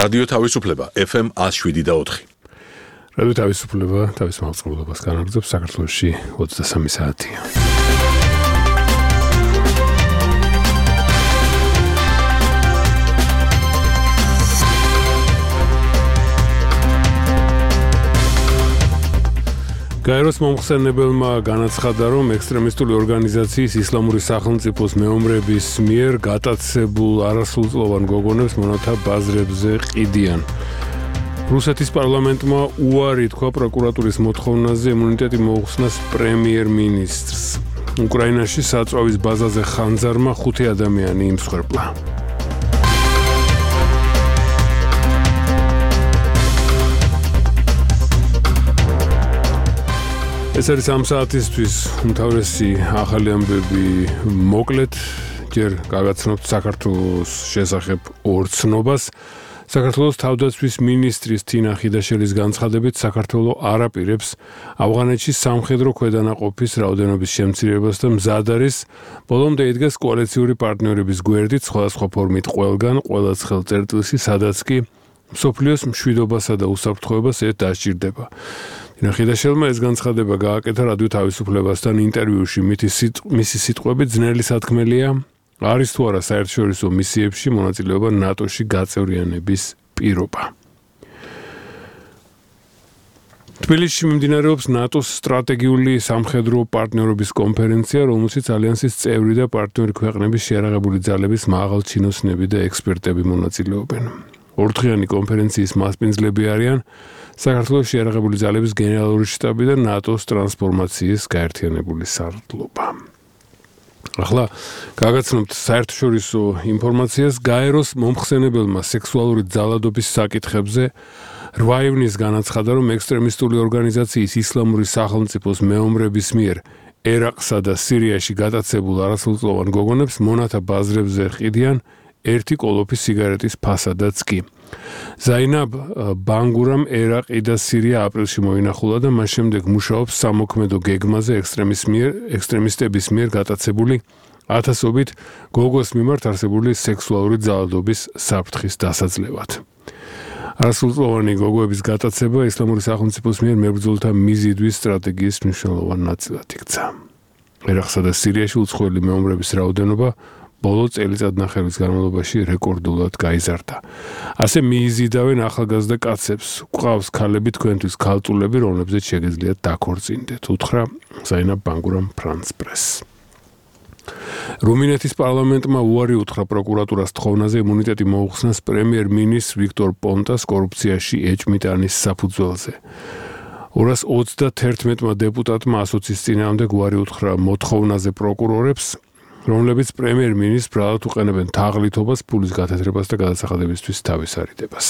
რადიო თავისუფლება FM 107.4. რადიო თავისუფლება თავის მაუწყებლობას განაგრძობს საქართველოში 23 საათია. გაეროს მომხსენებელმა განაცხადა, რომ ექსტრემისტული ორგანიზაციის ისლამური სახელმწიფოს მეომრების მიერ გატაცებულ არასრულწლოვან გოგონებს მონათა ბაზრებზე ყიდიან. რუსეთის პარლამენტმა უარი თქვა პროკურატურის მოთხოვნაზე იმუნიტეტი მოუხსნას პრემიერ-მინისტრს. უკრაინაში საწვავის ბაზაზე ხანძარმა 5 ადამიანი იმსხვერპლა. ეს არის ამ საათისთვის უმთავრესი ახალი ამბები მოკლედ ჯერ გაგაცნობთ საქართველოს შესახებ ორ ცნობას. საქართველოს თავდაცვის მინისტრის თინა ხიდაშელის განცხადებით საქართველო არ აპირებს ავღანეთში სამხედრო ქვედანაყოფის რაოდენობის შემცირებას და მზად არის ბოლომდე იდგეს კოალიციური პარტნიორების გვერდით სხვადასხვა ფორმით ყველგან ყველა ხელწერტილში სადაც კი მსოფლიოს მშვიდობასა და უსაფრთხოებას ერთ დასჭირდება. ხიდაშელმა ეს განცხადება გააკეთა რადიო თავისუფლებასთან ინტერვიუში მისი სიტყვებით ძნელი სათქმელია არის თუ არა საერთაშორისო მისიებში მონაწილეობა ნატოში გაწევრიანების პირობა. თბილისში მიმდინარეობს ნატოს სტრატეგიული სამხედრო პარტნიორობის კონფერენცია, რომელშიც ალიანსის წევრი და პარტნიორი ქვეყნების შეიარაღებული ძალების მაღალჩინოსნები და ექსპერტები მონაწილეობენ. ორდღიანი კონფერენციის მასპინძლები არიან საქართველოს შეიარაღებული ძალების გენერალური შტაბი და ნატოს ტრანსფორმაციის გაერთიანებული სარდლობა. ახლა გაგაცნობთ საერთაშორისო ინფორმაციას. გაეროს მომხსენებელმა სექსუალური ძალადობის საკითხებზე 8 ივნის განაცხადა, რომ ექსტრემისტული ორგანიზაციის ისლამური სახელმწიფოს მეომრების მიერ ერაყსა და სირიაში გატაცებულ არასრულწლოვან გოგონებს მონათა ბაზრებზე ყიდიან ერთი კოლოფი სიგარეტის ფასადაც კი. ზაინაბ ბანგურამ ერაყი და სირია აპრილში მოინახულა და მას შემდეგ მუშაობს სამოქმედო გეგმაზე ექსტრემისტების მიერ გატაცებული ათასობით გოგოს მიმართ არსებული სექსუალური ძალადობის საფრთხის დასაძლევად. არასრულწლოვანი გოგოების გატაცება ისლამური სახელმწიფოს მიერ მებრძოლთა მიზიდვის სტრატეგიის მნიშვნელოვან ნაწილად იქცა. ერაყსა და სირიაში უცხოელი მეომრების რაოდენობა ბოლო წელიწადნახევრის განმავლობაში რეკორდულად გაიზარდა. ასე მიიზიდავენ ახალგაზრდა კაცებს. გვყავს ქალები თქვენთვის ქალწულები, რომლებზეც შეგიძლიათ დაქორწინდეთ, უთხრა ზაინაბ ბანგურამ ფრანს პრეს. რუმინეთის პარლამენტმა უარი უთხრა პროკურატურას თხოვნაზე იმუნიტეტი მოუხსნას პრემიერ-მინისტრ ვიქტორ პონტას კორუფციაში ეჭმიტანის საფუძველზე. 231 დეპუტატმა ასოცის წინააღმდეგ უარი უთხრა მოთხოვნაზე პროკურორებს, რომლებიც პრემიერ-მინისტრს ბრალად უყენებენ თაღლითობას, ფულის გათეთრებას და გადასახადებისთვის თავის არიდებას.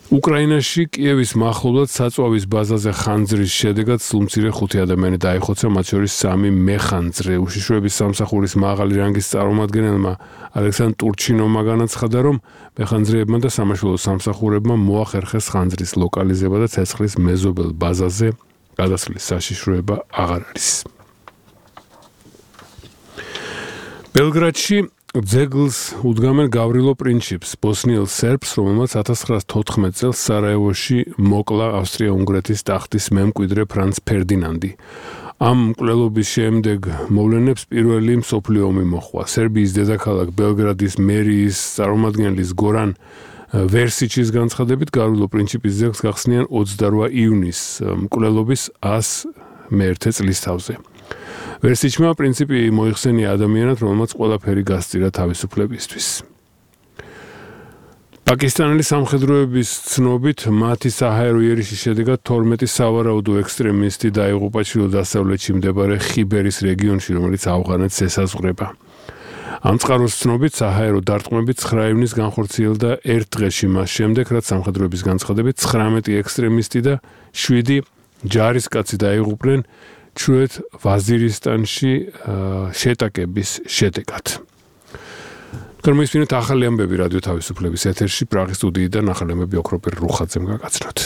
უკრაინაში კიევის მახლობლად საწვავის ბაზაზე ხანძრის შედეგად სულმცირე 5 ადამიანი დაიხოცა, მათ შორის 3 მეხანძრე. უშიშროების სამსახურის მაღალი რანგის წარმომადგენელმა ალექსანდრ ტურჩინოვმა განაცხადა, რომ მეხანძრეებმა და სამაშველო სამსახურებმა მოახერხეს ხანძრის ლოკალიზება და ცეცხლის მეზობელ ბაზაზე გადასვლის საშიშროება აღარ არის. ბელგრადში ძეგლს უდგამენ გავრილო პრინჩიპს, ბოსნიელ სერბს, რომელმაც 1914 წელს სარაევოში მოკლა ავსტრია-უნგრეთის ტახტის მემკვიდრე ფრანც ფერდინანდი. ამ მკვლელობის შემდეგ მოვლენებს პირველი მსოფლიო ომი მოჰყვა. სერბიის დედაქალაქ ბელგრადის მერიის წარმომადგენლის გორან ვერსიჩის განცხადებით გავრილო პრინჩიპის ძეგლს გახსნიან 28 ივნის მკვლელობის 101 წლის თავზე. ვერსიჩმა პრინციპი მოიხსენია ადამიანად, რომელმაც ყველაფერი გასწირა თავისუფლებისთვის. პაკისტანელი სამხედროების ცნობით მათი საჰაერო იერიშის შედეგად 12 სავარაუდო ექსტრემისტი დაიღუპა ჩრდილო-დასავლეთში მდებარე ხიბერის რეგიონში, რომელიც ავღანეთს ესაზღვრება. ამ წყაროს ცნობით საჰაერო დარტყმები 9 ივნის განხორციელდა ერთ დღეში მას შემდეგ, რაც სამხედროების განცხადებით 19 ექსტრემისტი და 7 ჯარისკაცი დაიღუპნენ ჩრდილოეთ ვაზირისტანში შეტაკების შედეგად. გამოისმინეთ ახალი ამბები რადიო თავისუფლების ეთერში პრაღის სტუდიიდან ახალი ამბები ოქროპერ რუხაძემ გაგაცნოთ.